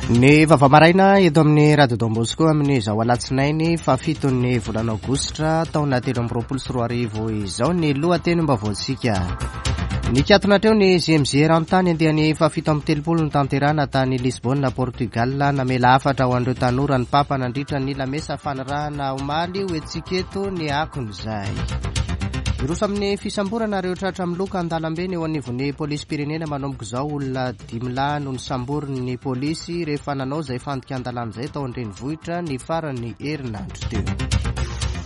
Ny vaovao maraina eto amin'ny Radio Don Bosco amin'izao alatsinainy fahafiton'ny volana aogositra taona 2023 izao ny lohatenim-baovaontsika. Nikatona hatreo ny JMJ eran-tany andiany faha-37 notanterahana tany Lisbonne, Portugal. Namela hafatra ho an'ireo tanora ny Papa nandritra ny lamesa fanirahana omaly ho entintsika eto ny akon'izay. Hiroso amin'ny fisamborana ireo tratra miloka an-dalambe ny eo anivon'ny polisim-pirenena manomboka izao olona Dimy lahy no nosamborin'ny polisy rehefa nanao izay fandikan-dalàna izay tao an-drenivohitra ny faran'ny herinandro teo.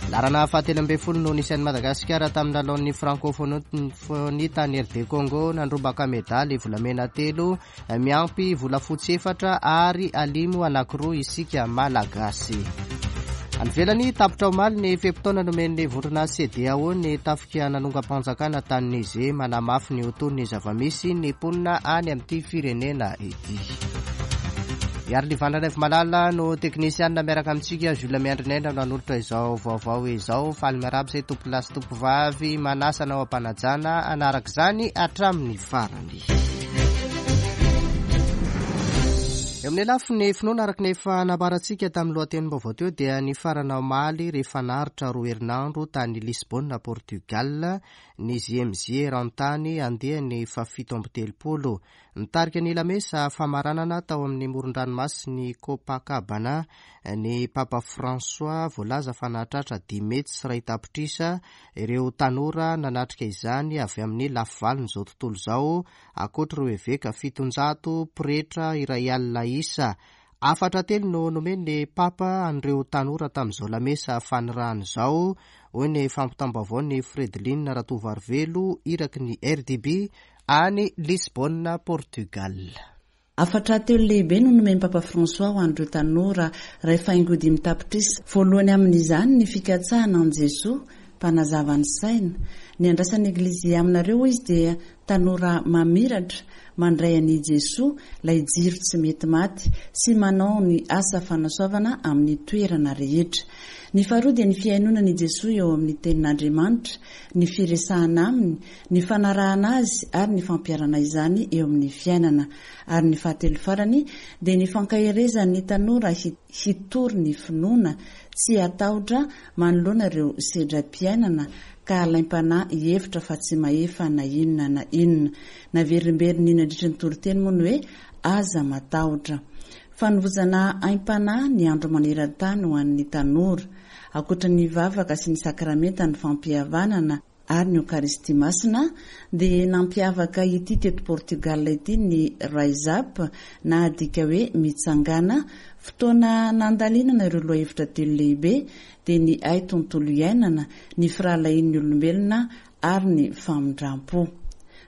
Laharana fahatelo ambin'ny folo no nisy an'i Madagasikara tamin'ny lalaon'ny Francophonie tany RD Congo, nandrombaka medaly volamena telo, miampy volafotsy efatra ary alimo anankiroa isika Malagasy. Any ivelany, tapitra omaly ny fe-potoana nomen'ny vondrona CEDEAO ny tafika nanongam-panjakana tany Niger, manamafy ny ho toy ny zava-misy ny mponina any amin'ity firenena ity. Iarolivana Raivomalala no teknisianina miaraka amintsika, Jules Miandrinaina no hanolotra izao vaovao izao. Faly miarahaba izay tompolahy sy tompovavy manasa anao am-panajana hanaraka izany hatramin'ny farany. Eo amin'ny lafiny finoana araka ny efa nambarantsika tamin'ny lohatenim-baovao teo dia nifarana omaly rehefa naharitra roa herinandro tany Lisbonne, Portugal, ny JMJ eran-tany andiany faha-37. Nitarika ny lamesa famaranana tao amin'ny moron-dranomasin'i Copacabana ny Papa François voalaza fa nahatratra 1.5 tapitrisa ireo tanora nanatrika izany avy amin'ny lafivalon'izao tontolo izao ankoatr'ireo eveka 700, pretra 1000 isa. Hafatra telo no nomen'ny Papa an'ireo tanora tamin'izao lamesa fanirahana izao, hoy ny fampitam-baovaon'i Fredeline Ratovoarivelo, iraky ny RDB any Lisbonne, Portugal. Hafatra telo lehibe no nomen'i Papa François ho an'ireo tanora iray faingo dimy tapitrisa. Voalohany amin'izany ny fikatsahana an'i Jesoa, Mpanazava ny saina. Ny andrasan'ny Eglizy aminareo, hoy izy, dia tanora mamiratra, mandray an'i Jesoa, ilay jiro tsy mety maty, sy manao ny asa fanasoavana amin'ny toerana rehetra. Ny faharoa dia ny fihainoana an'i Jesoa eo amin'ny Tenin'Andriamanitra, ny firesahana Aminy, ny fanarahana azy ary ny fampiharana izany eo amin'ny fiainana. Ary ny fahatelo farany dia ny fankaherezan'ny tanora hitory ny finoana, tsy hatahotra manoloana ireo sedram-piainana ka halaim-panahy hihevitra fa tsy mahefa na inona na inona. Naverimberiny nandritry ny toriteny moa ny hoe aza matahotra. Fanovozana aim-panahy ny andro maneran-tany ho an'ny tanora. Ankoatra ny vavaka sy ny sakramentan'ny fampihavanana, ary ny Eokaristia Masina, dia nampiavaka ity teto Portugal ity ny Rise Up na adika hoe Mitsangàna, fotoana nandalinana ireo lohahevitra telo lehibe, dia ny hay tontolo iainana, ny firahalahian'ny olombelona ary ny famindram-po.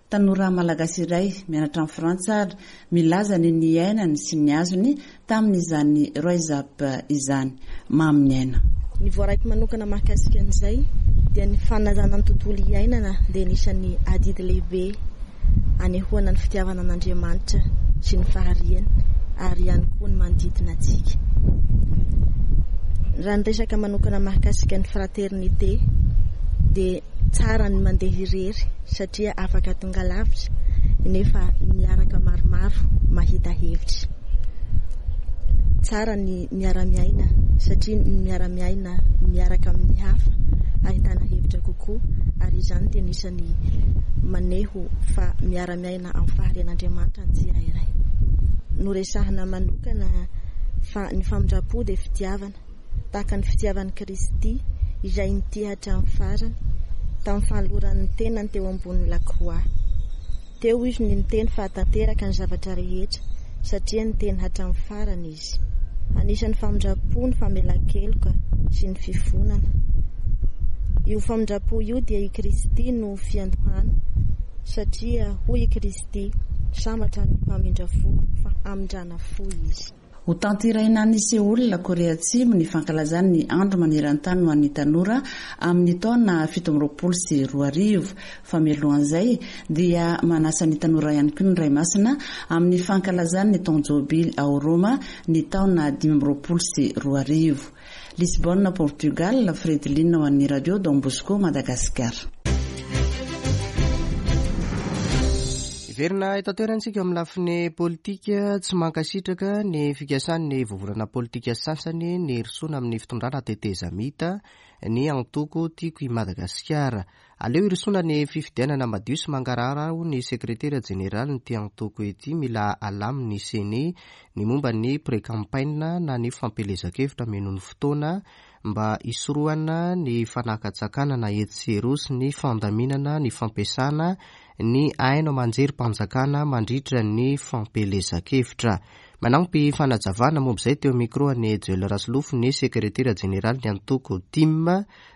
Tanora malagasy iray mianatra any Frantsa ary milaza ny niainany sy ny azony tamin'izany Rise Up izany. Mamy ny aina. Ny voaraiko manokana mahakasika an'izay dia ny fanajana ny tontolo iainana dia anisan'ny adidy lehibe anehoana ny fitiavana an'Andriamanitra sy ny fahariany ary ihany koa ny manodidina antsika. Raha ny resaka manokana mahakasika ny fraternité dia Tsara ny mandeha irery satria afaka tonga lavitra nefa miaraka maromaro mahita hevitra. Tsara ny miara-miaina satria ny miara-miaina miaraka amin'ny hafa ahitana hevitra kokoa ary izany dia anisan'ny maneho fa miara-miaina amin'ny faharian'Andriamanitra ny tsirairay. Noresahina manokana fa ny famindram-po dia fitiavana. tahaka ny fitiavan'i Kristy izay nitia hatramin'ny farany, tamin'ny fanolorany ny tenany teo ambonin'ny lakroà. Teo Izy no niteny fa tanteraka ny zavatra rehetra, satria niteny hatramin'ny farany Izy. Anisan'ny famindram-po ny famelan-keloka sy ny fifonana. Io famindram-po io dia i Kristy no fiandohana, satria hoy i Kristy, Sambatra ny mpamindra fo, fa hamindrana fo izy. Hotanterahina any Seoul, Korea Atsimo, ny fankalazana ny Andro maneran-tany ho an'ny tanora amin'ny taona 2027. Fa mialohan'izay dia manasa ny tanora ihany koa ny Ray Masina amin'ny fankalazana ny taon-jobily ao Roma ny taona 2025. Lisbonne, Portugal, Fredeline ho an'ny Radio Don Bosco Madagascar. Hiverina eto an-toerana isika amin'ny lafiny politika. Tsy mankasitraka ny fikasan'ny vovonana politika sasany ny hirosoana amin'ny fitondrana tetezamita ny antoko Tiako i Madagasikara. Aleo hirosoana ny fifidianana madio sy mangarahara hoy ny sekretera jeneralin'ity antoko ity. Mila alamin'ny Ceni ny momba ny pré-campaign na ny fampielezan-kevitra mino ny fotoana mba hisorohana ny fanakatsakanana etsy sy eroa sy ny fandaminana ny fampiasana ny haino aman-jerim-panjakana mandritra ny fampielezan-kevitra. Manampy fanazavana momba izay teo micro an'i Joel Rasolofo ny sekretera jeneralin'ny antoko tim,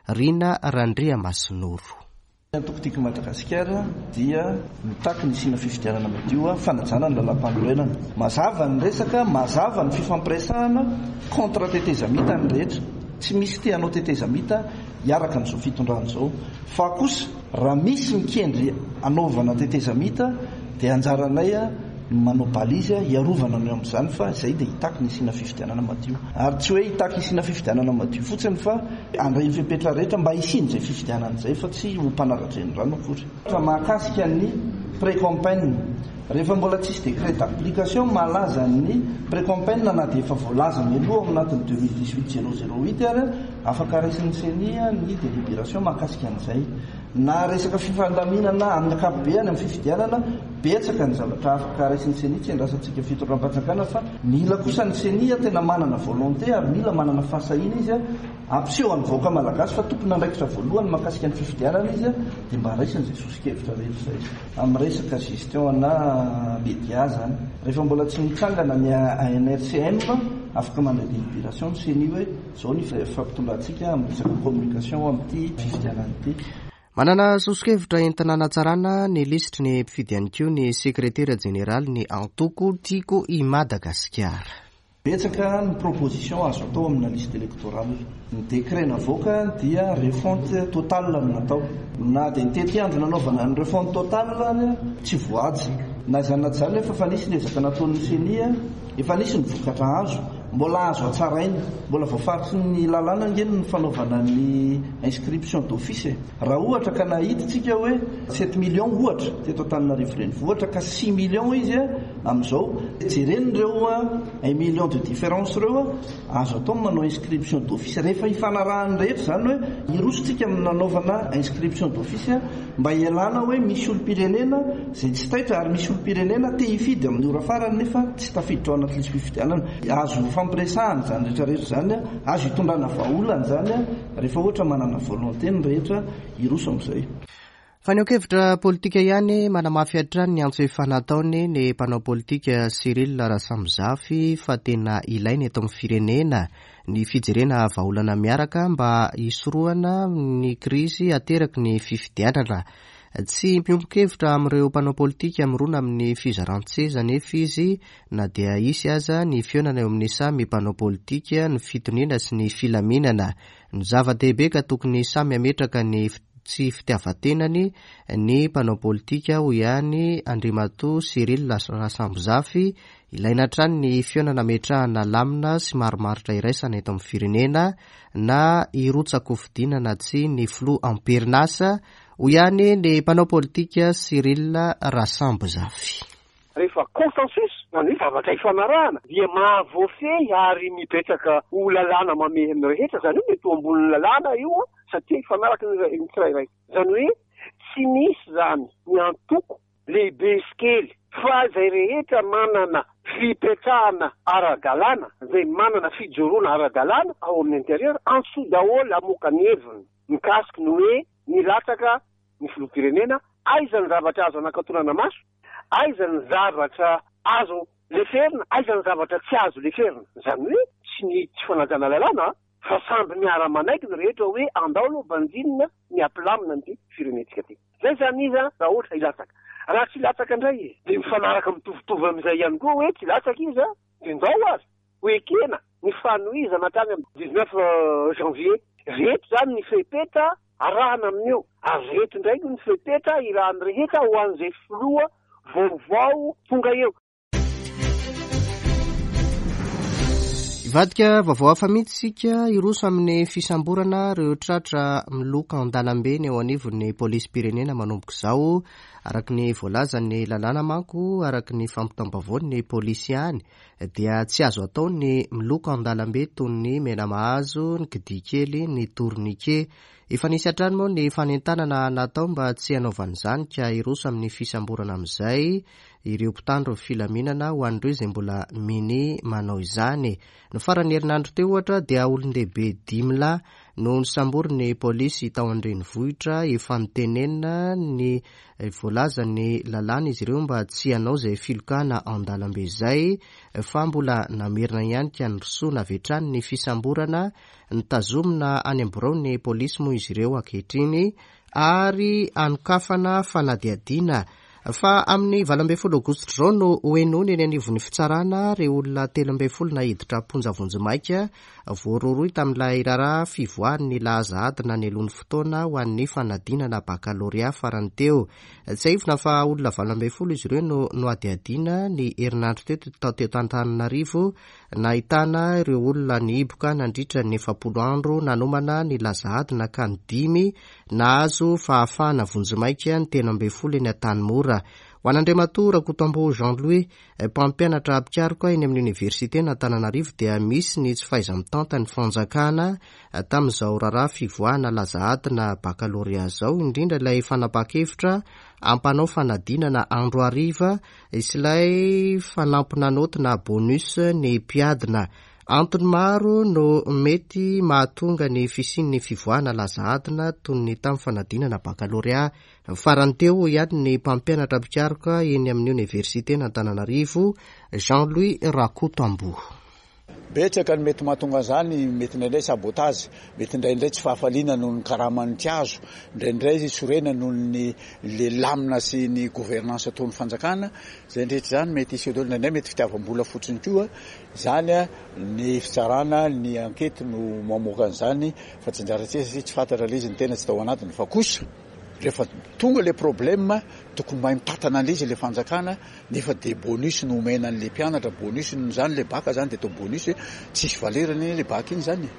Rina Randriamasinoro. Ny antoko Tiako i Madagasikara dia mitaky ny hisiana fifidianana madio, fanajana ny lalàmpanorenana. Mazava ny resaka, mazava ny fifampiresahana, contre tetezamita ny rehetra. Tsy misy te hanao tetezamita hiaraka amin'izao fitondrana izao. Fa kosa raha misy mikendry hanaovana tetezamita dia anjaranay ny manao balise hiarovana ny amin'izany fa izay dia hitaky ny hisiana fifidianana madio. Ary tsy hoe hitaky hisiana fifidianana madio fotsiny fa handray ny fepetra rehetra mba hisian'izay fifidianana izay fa tsy ho mpanara-drenirano akory. Fa mahakasika ny pré-campaign, rehefa mbola tsisy décret d'application mahalaza ny pré-campaign na dia efa voalaza mialoha ao anatin'ny 2018-008 ary, Afaka raisin'ny ceni ny délibération mahakasika an'izay. Na resaka fifandaminana amin'ny ankapobeny amin'ny fifidianana, betsaka ny zavatra afaka raisin'ny ceni, tsy andrasantsika fitondram-panjakana fa mila kosa ny ceni tena manana volonté ary mila manana fahasahiana izy hampiseho an'ny vahoaka malagasy fa tompon'andraikitra voalohany mahakasika ny fifidianana izy dia mba raisiny izay soso-kevitra rehetra izay. Amin'ny resaka gestion ana média zany, rehefa mbola tsy nitsangana ny ANRCM, afaka mandray délibération ny ceni hoe Izao ny fampitondrantsika amin'ny resaka communication amin'ity fifidianana ity. Manana soso-kevitra entina hanatsarana ny lisitry ny mpifidy ihany koa ny sekretera jeneralin'ny antoko Tiako i Madagasikara. Betsaka ny proposition azo atao amina liste électorale. Ny décret navoaka dia refonte totale no natao. Na dia ny tetiandro nanaovana ny refonte totale ary tsy voahaja. Na izany na tsy izany nefa efa nisy ny ezaka nataon'ny ceni, efa nisy ny vokatra azo. Mbola azo hatsaraina. Mbola voafaritry ny lalàna ange ny fanaovana ny inscription d'office e. Raha ohatra ka nahita tsika hoe sept millions ohatra teto Antananarivo renivohitra ka six millions izy amin'izao, jerena ireo un million de différence ireo, azo atao ny manao inscription d'office rehefa ifanarahan'ny rehetra izany hoe hiroso tsika amin'ny nanaovana inscription d'office Mba hialana hoe misy olom-pirenena izay tsy taitra ary misy olom-pirenena te hifidy amin'ny ora farany nefa tsy tafiditra ao anaty lisi-pifidianana. Azo ifampiresahana izany rehetra rehetra izany, azo itondrana vahaolana izany rehefa ohatra manana volonté ny rehetra hiroso amin'izay. Fanehoan-kevitra politika ihany, manamafy hatrany ny antso efa nataony ny mpanao politika Cyril Rasamizafy fa tena ilaina eto amin'ny firenena ny fijerena vahaolana miaraka mba hisorohana ny krizy ateraky ny fifidianana. Tsy miombon-kevitra amin'ireo mpanao politika mirona amin'ny fizaran-tseza anefa izy na dia hisy aza ny fihaonana eo amin'ny samy mpanao politika, ny fitoniana sy ny filaminana no zava-dehibe ka tokony samy hametraka ny tsy fitiavan-tenany ny mpanao politika, hoy ihany Andriamatoa Cyril Rasambozafy, Ilaina hatrany ny fihaonana ametrahana lamina sy marimaritra iraisana eto amin'ny firenena na hirotsa-kofidina na tsia ny filoha am-perinasa, hoy ihany ny mpanao politika Cyril Rasambozafy. Rehefa consensus, izany hoe zavatra ifanarahana, dia mahavoafehy ary mipetraka ho lalàna mamehy ny rehetra, izany hoe mety ho ambonin'ny lalàna io satria hifanaraka ny tsirairay. Izany hoe tsy misy izany ny antoko lehibe sy kely, fa izay rehetra manana fipetrahana ara-dalàna, izay manana fijoroana ara-dalàna ao amin'ny intérieur, antsoy daholo hamoaka ny heviny mikasiky ny hoe nilatsaka ny filoham-pirenena, aiza ny zavatra azo anakatonana maso, aiza ny zavatra azo leferina, aiza ny zavatra tsy azo leferina. Izany hoe tsy ny tsy fanajana lalàna fa samby miara-manaiky ny rehetra hoe andao aloha banjinina ny hampilamina an'ity firenentsika ity. Zay zany izy an, raha ohatra hilatsaka. Raha tsy hilatsaka indray izy, dia mifanaraka mitovitovy amin'izay ihany koa hoe tsy hilatsaka izy an, dia ndao ary ho ekena ny fanohizana hatrany amin'ny 19 janvier. Reto zany ny fepetra arahana amin'io, ary reto indray koa ny fepetra irahan'ny rehetra ho an'izay filoha vaovao tonga eo. Hivadika vaovao hafa mihitsy isika, hiroso amin'ny fisamborana ireo tratra miloka an-dalambe ny eo anivon'ny polisim-pirenena manomboka izao. Araka ny voalazan'ny lalàna manko, araka ny fampitam-baovaon'ny polisy ihany, dia tsy azo atao ny miloka an-dalambe toy ny menamahazo, ny kidia kely, ny tourniquet. Efa nisy hatrany moa ny fanentanana natao mba tsy hanaovana izany ka hiroso amin'ny fisamborana amin'izay ireo mpitandro filaminana ho an'ireo izay mbola minia manao izany. Ny faran'ny herinandro teo ohatra dia olon-dehibe dimy lahy no nosamborin'ny polisy tao an-drenivohitra efa notenenina ny voalazan'ny lalàna izy ireo mba tsy hanao izay filokana an-dalambe izay fa mbola namerina ihany ka nirosoana avy hatrany ny fisamborana. Notazomina any amin'ny biraon'ny polisy moa izy ireo ankehitriny ary anokafana fanadihadiana Fa amin'ny 18 aogositra izao no hohenoina eny anivon'ny fitsarana ireo olona 13 naiditra am-ponja vonjimaika voarohirohy tamin'ilay raharaha fivoahan'ny laza adina nialoha ny fotoana ho an'ny fanadinana bakalorea farany teo. Tsiahivina fa olona 18 izy ireo no nohadihadiana ny herinandro teo tao teto Antananarivo Nahitana ireo olona nihiboka nandritra ny 40 andro nanomana ny laza adina ka ny dimy nahazo fahafahana vonjimaika ny 13 eny Antanimora. Ho an'Andriamatoa Rakotoamboa Jean Louis, mpampianatra mpikaroka eny amin'ny Oniversiten'Antananarivo dia misy ny tsy fahaiza-mitantan'ny fanjakana tamin'izao raharaha fivoahana laza adina bakalorea izao, indrindra ilay fanapahan-kevitra hampanao fanadinana andro hariva Hisy ilay fanampina naoty na bonus ny mpiadina. Antony maro no mety mahatonga ny fisian'ny fivoahana laza adina toy ny tamin'ny fanadinana bakalorea farany teo, hoy ihany ny mpampianatra mpikaroka eny amin'ny oniversiten'Antananarivo, Jean Louis Rakotoamboa. Betsaka ny mety mahatonga an'izany, mety indraindray sabotage, mety indraindray tsy fahafaliana noho ny karamany tsy azo, indraindray sorena noho ny le lamina sy ny gouvernance ataon'ny fanjakana, izay rehetra izany mety hiseho daholo, indraindray mety fitiavam-bola fotsiny koa, izany ny fitsarana, ny enquete no mamoaka an'izany fa tsy anjarantsika satria tsy fantatra ilay izy, ny tena tsy tao anatiny fa kosa rehefa tonga le problème tokony mahay mitantana an'ilay izy le fanjakana. Nefa dia bonus no omena an'le mpianatra, bonus noho izany le bac zany dia atao bonus, tsisy valeur anie le bac iny zany e.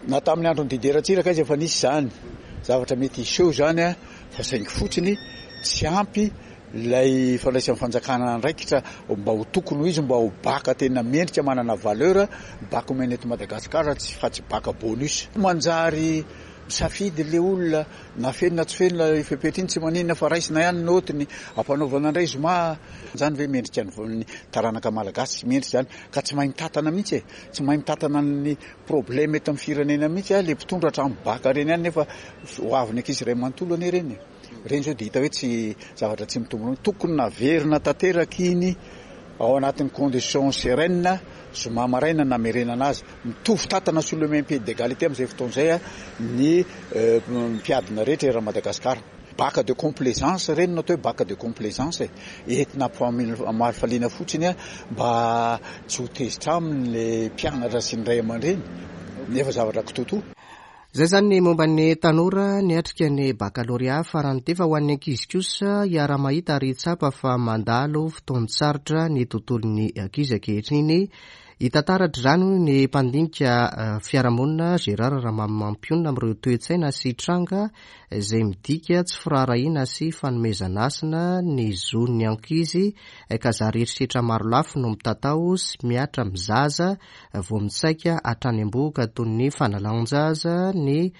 Na tamin'ny andron'i Didier Ratsiraka aza efa nisy izany zavatra mety hiseho izany an, fa saingy fotsiny tsy ampy ilay fandraisan'ny fanjakana andraikitra mba ho tokony ho izy, mba ho bac tena mendrika manana valeur ny bac omena eto Madagascar fa tsy bac bonus. Manjary misafidy le olona Na feno na tsy feno ilay fepetra iny tsy maninona fa raisina ihany ny naotiny, ampanaovana indray zoma. Izany ve mendrika ny taranaka malagasy? Tsy mendrika izany ka tsy mahay mitantana mihitsy e! Tsy mahay mitantana ny problème eto amin'ny firenena mihitsy le mpitondra hatramin'ny bac ireny ihany nefa ho avin'ny ankizy iray manontolo anie ireny e! Ireny izao dia hita hoe tsy zavatra tsy mitombina. Tokony naverina tanteraka iny ao anatin'ny condition sereine zoma maraina namerenana azy. Mitovy tantana sur le même pied d'égalité amin'izay fotoana izay ny mpiadina rehetra eran'i Madagasikara. Bac de complaisance ireny no atao hoe bac de complaisance e. Entina hamalifalia fotsiny mba tsy ho tezitra aminy ilay mpianatra sy ny ray aman-dreny nefa zavatra kitoatoa. Izay izany ny momba ny tanora niatrika ny bakalorea farany teo fa ho an'ny ankizy kosa hiara-mahita ary hitsapa fa mandalo fotoan-tsarotra ny tontolon'ny ankizy ankehitriny. Hita taratra izany hoy ny mpandinika fiarahamonina Gérard Ramamimampionona amin'ireo toe-tsaina sy tranga izay midika tsy firaharahiana sy fanomezana hasina ny zon'ny ankizy ka zary herisetra marolafy no mitatao sy mihatra amin'ny zaza vao mitsaika hatrany am-bohoka toy ny fanalan-jaza, ny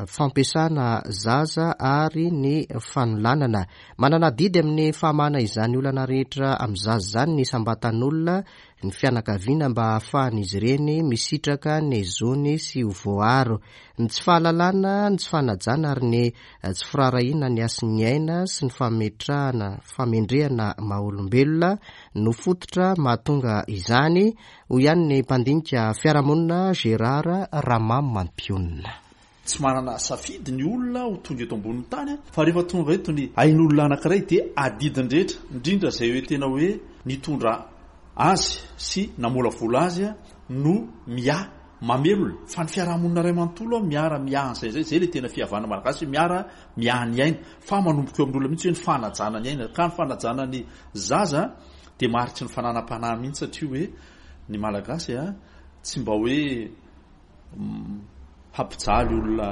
fampiasana zaza ary ny fanolanana. Manana adidy amin'ny fahamahana izany olana rehetra amin'ny zaza izany ny isam-batan'olona, ny fianakaviana mba hahafahan'izy ireny misitraka ny zony sy ho voaaro. Ny tsy fahalalana, ny tsy fanajana ary ny tsy firaharahiana ny hasin'ny aina sy ny fametrahana famendrehana maha-olombelona no fototra mahatonga izany, hoy ihany ny mpandinika fiarahamonina Gérard Ramamimampionona. Tsy manana safidy ny olona ho tonga eto ambonin'ny tany fa rehefa tonga eto ny ain'olona anankiray dia adidiny rehetra, indrindra izay hoe tena hoe nitondra azy sy namolavola azy no miahy, mamelona fa ny fiarahamonina iray manontolo miara miahy an'izay izay, izay ilay tena fihavanana malagasy hoe miara miahy ny aina fa manomboka eo amin'ny olona mihitsy hoe ny fanajana ny aina ka ny fanajana ny zaza dia mariky ny fananam-panahy mihitsy satria hoe ny malagasy a. Tsy mba hoe hampijaly olona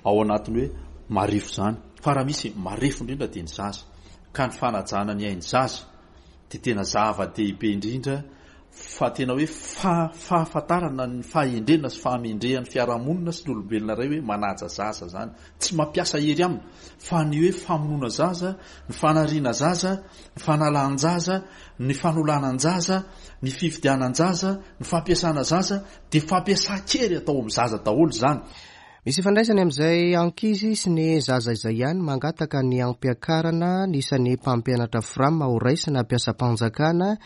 ao anatin'ny hoe marefo izany. Fa raha misy marefo indrindra dia ny zaza. Ka ny fanajana ny ain'ny zaza dia tena zava-dehibe indrindra fa tena hoe fahafantarana ny fahendrena sy fahamendrehan'ny fiarahamonina sy ny olombelona iray hoe manaja zaza izany. Tsy mampiasa hery aminy fa ny hoe famonoana zaza, ny fanariana zaza, ny fanalan-jaza, ny fanolanan-jaza, ny fividianan-jaza, ny fampiasana zaza dia fampiasan-kery atao amin'ny zaza daholo izany. Misy ifandraisany amin'izay ankizy sy ny zaza izay ihany mangataka ny hampiakarana ny isan'ny mpampianatra Fram ho raisina mpiasam-panjakana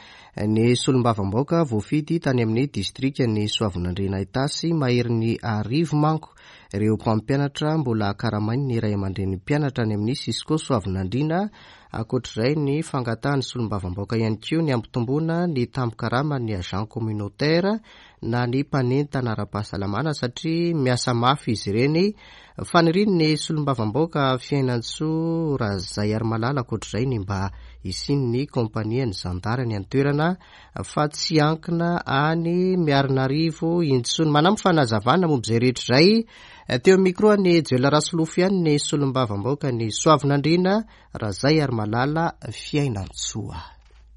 ny solombavambaoka voafidy tany amin'ny distrikan'i Soavinandriana Itasy maherin'ny arivo manko ireo mpampianatra mbola karamain'ny ray aman-drenin'ny mpianatra any amin'ny Cisco Soavinandriana. Ankoatr'izay ny fangatahan'ny solombavambaoka ihany koa ny hampitomboana ny tambin-karaman'ny agent communautaire na ny mpanentana ara-pahasalamana satria miasa mafy izy ireny. Fanirian'ny solombavambaoka Fiainantsoa Razaiarimalala ankoatr'izay ny mba hisian'ny kaompanian'ny zandary any an-toerana fa tsy hiankina any Miarinarivo intsony. Manampy fanazavana momba izay rehetra izay teo amin'ny micro an'i Joel Rasolofo ihany ny solombavambaoka ny Soavinandriana Razaiarimalala Fiainantsoa.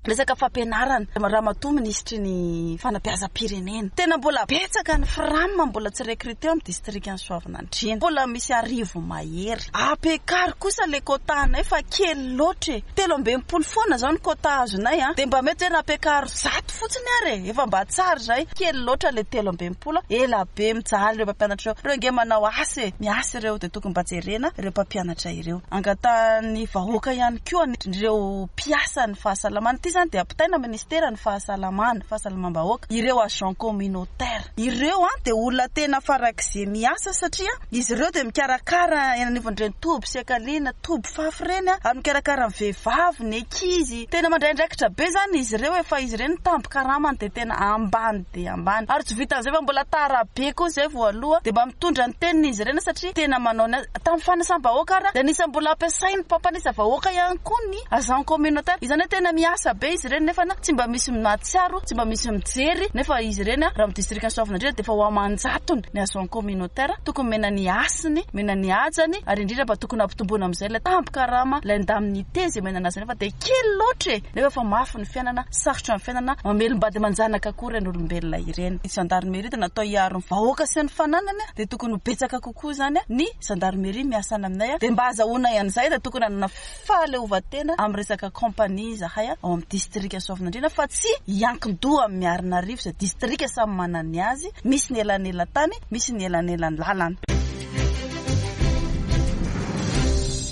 Resaka fampianarana, Ramatoa Minisitry ny Fanabeazam-pirenena, tena mbola betsaka ny fram mbola tsy recruter ao amin'ny distrikan'i Soavinandriana, mbola misy arivo mahery. Ampiakaro kosa ilay quota anay fa kely loatra e! 63 foana izao ny quota azonay an! Dia mba mety hoe nampiakaro 100 fotsiny ary e! Efa mba tsara izay. Kely loatra ilay 63, ela be mijaly ireo mpampianatra ireo. Ireo ange manao asa e! Miasa ireo dia tokony mba jerena ireo mpampianatra ireo. Angatahan'ny vahoaka ihany koa ireo mpiasan'ny fahasalamana. Ity izany dia ampitaina minisiteran'ny fahasalamana, fahasalamam-bahoaka, ireo agents communautaires. Ireo dia olona tena farak'izay miasa satria izy ireo dia mikarakara eny anivon'ireny toby fiankaliana, toby fafy ireny ary mikarakara ny vehivavy, ny ankizy. Tena mandray andraikitra be izany izy ireo e, fa izy ireny ny tambin-karamany dia tena ambany dia ambany. Ary tsy vitan'izay fa mbola tara be koa izay vao aloha dia mba mitondra ny teniny izy ireny satria tena manao ny Tamin'ny fanasam-bahoaka ary dia anisan'ny mbola ampiasain'ny mpampanisa vahoaka ihany koa ny agent communautaire. Izany hoe tena miasa be izy ireny nefa tsy mba misy mahatsiaro, tsy mba misy mijery nefa izy ireny raha amin'ny distrikan'i Soavinandriana dia efa ho aman-jatony ny agent communautaire. Tokony omena ny hasiny, omena ny hajany ary indrindra mba tokony hampitomboina amin'izay ilay tambin-karama, ilay indemnité izay omena anazy nefa dia kely loatra e! Nefa efa mafy ny fiainana, sarotra ny fiainana, mamelom-bady aman-janaka koa ireny olombelona ireny. Ny gendarmerie dia natao hiaro ny vahoaka sy ny fananany dia tokony ho betsaka kokoa. koa izany ny gendarmerie miasa any aminay dia mba azahoanay an'izay dia tokony hanana fahaleovantena amin'ny resaka compagnie izahay ao amin'ny distrika Soavinandriana fa tsy hiankin-doha amin'ny Miarinarivo izay distrika samy manana ny azy, misy ny elanelan-tany, misy ny elanelan-lalana.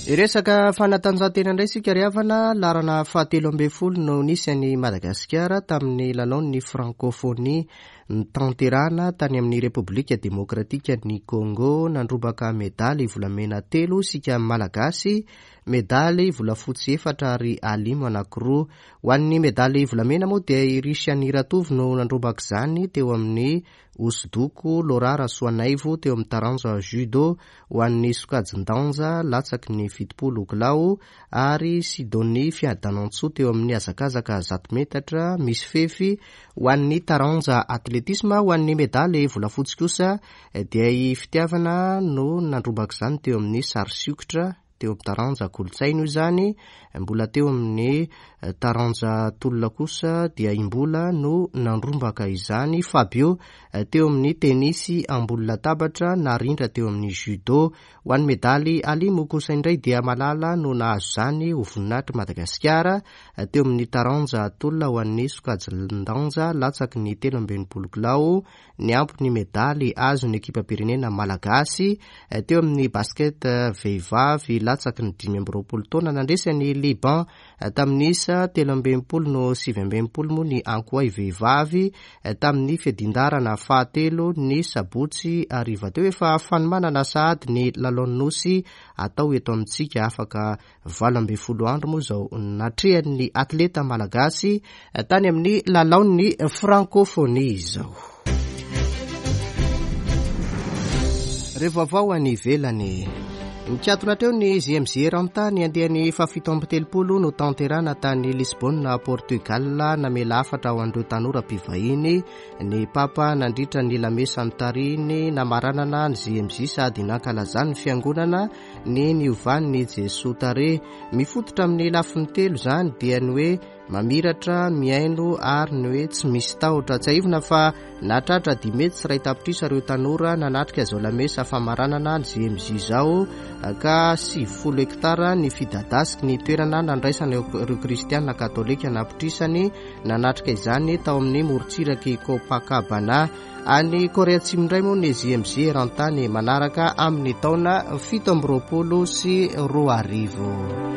Hiresaka fanatanjahantena indray isika ry havana, laharana fahatelo ambin'ny folo no nisy an'i Madagasikara tamin'ny lalaon'ny Francophonie. Notanterahana tany amin'ny Repoblika Demokratikan'i Congo, nandrombaka medaly volamena telo isika Malagasy, medaly volafotsy efatra ary alimo anankiroa. Ho an'ny medaly volamena moa dia i Richani Ratovo no nandrombaka izany teo amin'ny hosodoko, Laura Rasoanaivo teo amin'ny taranja judo ho an'ny sokajin-danja latsaky ny 70 kilao ary Sidonie Fiadanantsoa teo amin'ny hazakazaka 100 metatra misy fefy Ho an'ny taranja atletisma, ho an'ny medaly volafotsy kosa dia i Fitiavana no nandrombaka izany teo amin'ny sary sokitra, teo amin'ny taranja kolontsaina io izany, mbola teo amin'ny taranja tolona kosa dia i Mbola no nandrombaka izany, Fabio teo amin'ny tenisy ambony latabatra, Narindra teo amin'ny judo. Ho an'ny medaly alimo kosa indray dia Malala no nahazo izany ho voninahitr'i Madagasikara teo amin'ny taranja tolona ho an'ny sokajin-danja latsaky ny 63 kilao niampy ny medaly azon'ny ekipam-pirenena malagasy teo amin'ny basket vehivavy latsaky ny 25 taona nandresy an'i Liban Tamin'ny isa 63 no 69 moa ny Ankoay vehivavy tamin'ny fiadin-daharana fahatelo ny sabotsy hariva teo. Efa fanomanana sahady ny lalaon'ny Nosy atao eto amintsika afaka 18 andro moa izao natrehan'ny atleta malagasy tany amin'ny lalaon'ny Francophonie izao. Re vaovao any ivelany. Nikatona hatreo ny JMJ eran-tany andiany faha-37 notanterahina tany Lisbonne, Portugal. Namela hafatra ho an'ireo tanora mpivahiny ny Papa nandritra ny lamesa notarihiny namaranana ny JMJ sady nankalazany ny fiangonana ny niovan'i Jesoa tarehy. Mifototra amin'ny lafiny telo izany dia ny hoe Mamiratra, mihaino ary ny hoe tsy misy tahotra. Tsiahivina fa nahatratra 1.5 tapitrisa ireo tanora nanatrika izao lamesa famaranana ny JMJ izao ka 90 hektara ny fidadasiky ny toerana nandraisana ireo kristiana katolika anapitrisany nanatrika izany tao amin'ny morontsirak'i Copacabana. Any Korea Atsimo indray moa ny JMJ eran-tany manaraka amin'ny taona 2027.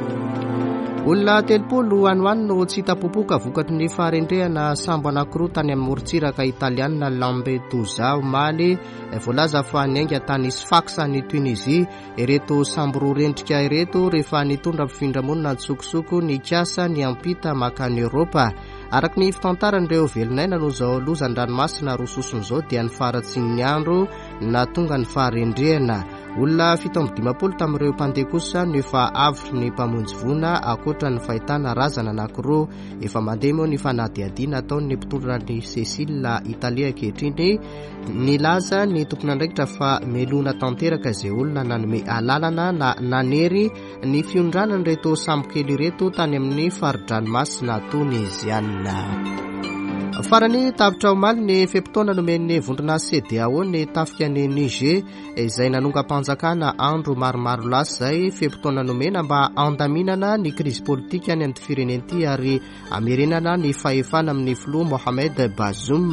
Olona 30 any ho any no tsy hita popoka vokatry ny faharendrehana sambo anankiroa tany amin'ny morontsiraka italianina Lampedusa omaly. Voalaza fa niainga tany Sfax any Tunisie ireto sambo roa rendrika ireto rehefa nitondra mpifindra-monina an-tsokosoko nikasa niampita mankany Eoropa. Araka ny fitantaran'ireo velon'aina noho izao loza an-dranomasina roa sosona izao dia ny faharatsian'ny andro nahatonga ny faharendrehana. Olona 57 tamin'ireo mpandeha kosa no efa avotry ny mpamonjy voina ankoatra ny fahitana razana anankiroa. Efa mandeha moa ny fanadihadiana ataon'ny mpitondra ny Cecile Italie ankehitriny. Nilaza ny tompon'andraikitra fa melohina tanteraka izay olona nanome alalana na nanery Ny fiondranan'ireto sambokely ireto tany amin'ny fari-dranomasina Toniziana. Farany, tapitra omaly ny fe-potoana nomen'ny vondrona CEDEAO ny tafika ny Niger izay nanongam-panjakana andro maromaro lasa izay, fe-potoana nomena mba handaminana ny krizy politika any amin'ity firenena ity ary hamerenana ny fahefana amin'ny filoha Mohamed Bazoum.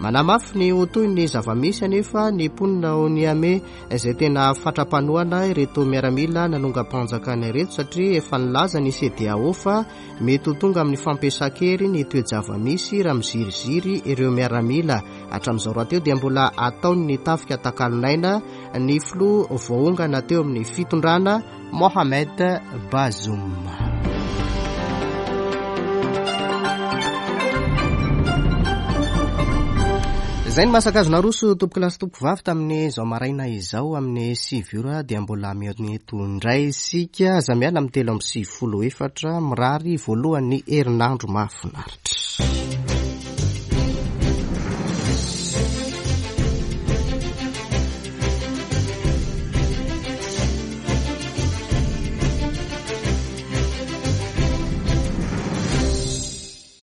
Manamafy ny ho toy ny zava-misy anefa ny mponina ao Niamey izay tena fatra-panohana ireto miaramila nanongam-panjakana ireto satria efa nilaza ny CEDEAO fa mety ho tonga amin'ny fampiasan-kery ny toe-java-misy raha miziriziry ireo miaramila. Hatramin'izao rahateo dia mbola ataon'ny tafika takalon'aina ny filoha voaongana teo amin'ny fitondrana Mohamed Bazoum. Izay ny masaka azo naroso tompoko lahy sy tompoko vavy tamin'izao maraina izao amin'ny sivy ora dia mbola mihaona eto indray isika. Aza miala amin'ny 93 4 mirary voalohan'ny herinandro mahafinaritra.